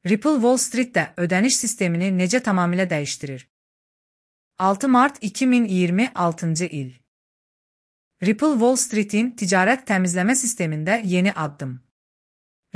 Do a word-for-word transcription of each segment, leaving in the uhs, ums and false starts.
Ripple Wall Street'te ödəniş sistemini necə tamamilə dəyişdirir? altı mart iki min iyirmi altıncı il. Ripple Wall Street'in ticarət təmizləmə sistemində yeni addım.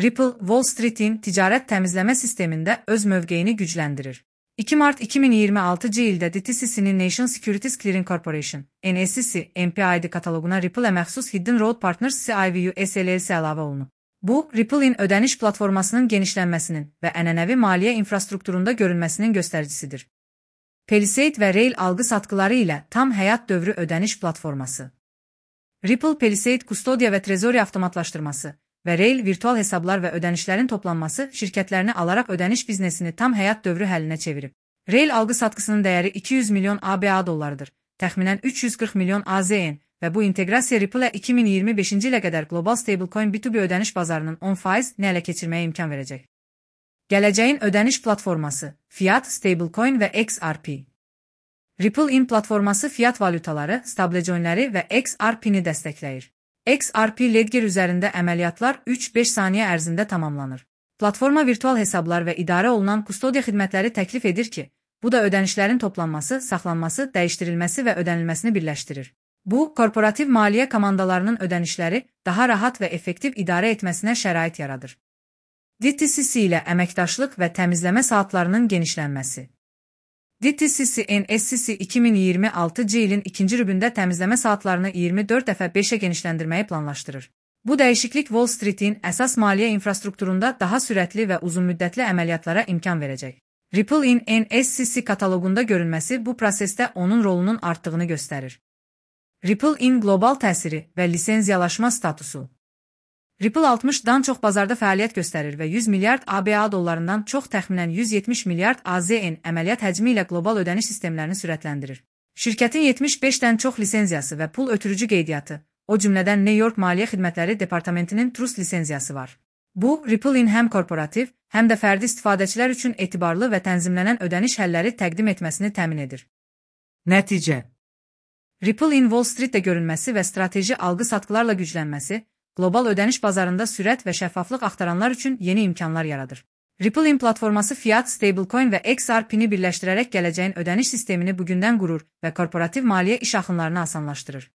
Ripple Wall Street'in ticarət təmizləmə sistemində öz mövqeyini gücləndirir. iki mart iki min iyirmi altıncı ildə D T C C'nin National Securities Clearing Corporation N S C C M P I D kataloquna Ripple-ə məxsus Hidden Road Partners C I V U S L L C əlavə olunub. Bu, Ripple-in ödəniş platformasının genişlənməsinin və ənənəvi maliyyə infrastrukturunda görünməsinin göstəricisidir. Palisade və Rail alqı-satqıları ilə tam həyat dövrü ödəniş platforması. Ripple Palisade kustodiya və trezori avtomatlaşdırması və Rail virtual hesablar və ödənişlərin toplanması şirkətlərini alaraq ödəniş biznesini tam həyat dövrü həllinə çevirib. Rail alqı-satqısının dəyəri iki yüz milyon A B A dollarıdır, təxminən üç yüz qırx milyon A Z N və bu inteqrasiya Ripple-ə iki min iyirmi beşinci ilə qədər qlobal stablecoin B iki B ödəniş bazarının on faizini ələ keçirməyə imkan verəcək. Gələcəyin ödəniş platforması, Fiat, Stablecoin və X R P. Ripple-in platforması fiat valyutaları, stablecoinləri və X R P-ni dəstəkləyir. X R P Ledger üzərində əməliyyatlar üç beş saniyə ərzində tamamlanır. Platforma virtual hesablar və idarə olunan kustodiya xidmətləri təklif edir ki, bu da ödənişlərin toplanması, saxlanması, dəyişdirilməsi və ödənilməsini birləşdirir. Bu, korporativ maliyyə komandalarının ödənişləri daha rahat və effektiv idarə etməsinə şərait yaradır. D T C C ilə əməkdaşlıq və təmizləmə saatlarının genişlənməsi. D T C C N S C C iki min iyirmi altıncı ilin ikinci rübündə təmizləmə saatlarını iyirmi dörd dəfə beşə genişləndirməyi planlaşdırır. Bu dəyişiklik Wall Street'in əsas maliyyə infrastrukturunda daha sürətli və uzunmüddətli əməliyyatlara imkan verəcək. Ripple-in N S C C kataloqunda görünməsi bu prosesdə onun rolunun artdığını göstərir. Ripple-in qlobal təsiri və lisenziyalaşma statusu. Ripple altmışdan çox bazarda fəaliyyət göstərir və yüz milyard A B A dollarından çox təxminən yüz yetmiş milyard A Z N əməliyyat həcmi ilə qlobal ödəniş sistemlərini sürətləndirir. Şirkətin yetmiş beşdən çox lisenziyası və pul ötürücü qeydiyyatı, o cümlədən New York Maliyyə Xidmətləri Departamentinin Trust lisenziyası var. Bu, Ripple-in həm korporativ, həm də fərdi istifadəçilər üçün etibarlı və tənzimlənən ödəniş həlləri təqdim etməsini təmin edir. Nəticə. Ripple-in Wall Street-də görünməsi və strateji alqı-satqılarla güclənməsi, qlobal ödəniş bazarında sürət və şəffaflıq axtaranlar üçün yeni imkanlar yaradır. Ripple-in platforması Fiat, Stablecoin və X R P-ni birləşdirərək gələcəyin ödəniş sistemini bugündən qurur və korporativ maliyyə iş axınlarını asanlaşdırır.